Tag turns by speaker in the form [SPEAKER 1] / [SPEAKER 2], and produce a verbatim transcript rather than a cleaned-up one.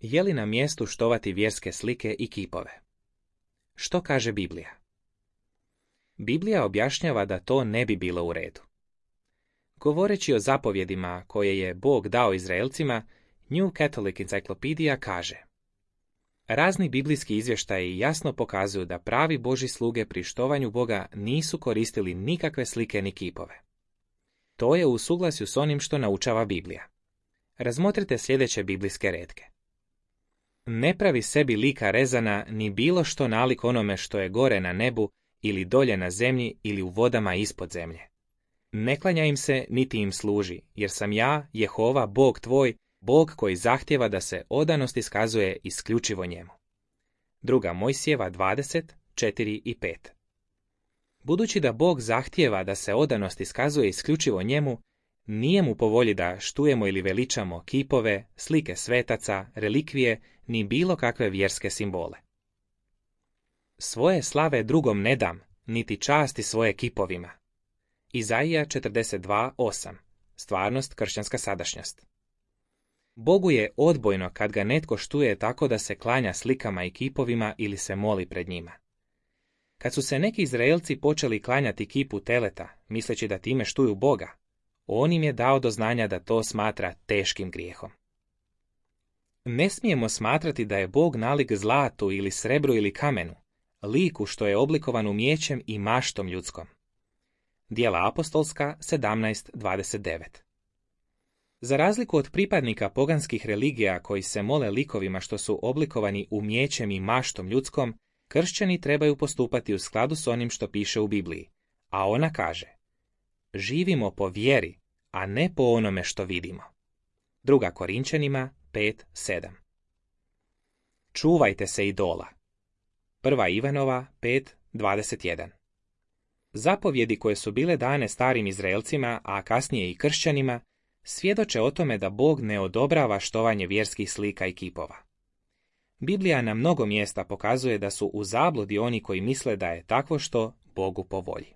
[SPEAKER 1] Je li na mjestu štovati vjerske slike i kipove? Što kaže Biblija? Biblija objašnjava da to ne bi bilo u redu. Govoreći o zapovjedima koje je Bog dao Izraelcima, New Catholic Encyclopedia kaže: razni biblijski izvještaji jasno pokazuju da pravi Božji sluge pri štovanju Boga nisu koristili nikakve slike ni kipove. To je u suglasju s onim što naučava Biblija. Razmotrite sljedeće biblijske retke. Ne pravi sebi lika rezana ni bilo što nalik onome što je gore na nebu ili dolje na zemlji ili u vodama ispod zemlje. Ne klanja im se niti im služi, jer sam ja, Jehova, Bog tvoj, Bog koji zahtjeva da se odanost iskazuje isključivo njemu. Druga Mojsijeva dvadeset, četiri i pet. Budući da Bog zahtjeva da se odanost iskazuje isključivo njemu, nije mu po volji da štujemo ili veličamo kipove, slike svetaca, relikvije, ni bilo kakve vjerske simbole. Svoje slave drugom ne dam, niti časti svoje kipovima. Izaija četrdeset dva, osam. Stvarnost, kršćanska sadašnjost. Bogu je odbojno kad ga netko štuje tako da se klanja slikama i kipovima ili se moli pred njima. Kad su se neki Izraelci počeli klanjati kipu teleta, misleći da time štuju Boga, on im je dao do znanja da to smatra teškim grijehom. Ne smijemo smatrati da je Bog nalik zlatu ili srebru ili kamenu, liku što je oblikovan umijećem i maštom ljudskom. Djela apostolska sedamnaest dvadeset devet. Za razliku od pripadnika poganskih religija koji se mole likovima što su oblikovani umijećem i maštom ljudskom, kršćani trebaju postupati u skladu s onim što piše u Bibliji, a ona kaže: živimo po vjeri, a ne po onome što vidimo. Druga Korinčanima pet sedam. Čuvajte se idola. Prva Ivanova pet dvadeset jedan. Zapovjedi koje su bile dane starim Izraelcima, a kasnije i kršćanima, svjedoče o tome da Bog ne odobrava štovanje vjerskih slika i kipova. Biblija na mnogo mjesta pokazuje da su u zabludi oni koji misle da je takvo što Bogu po volji.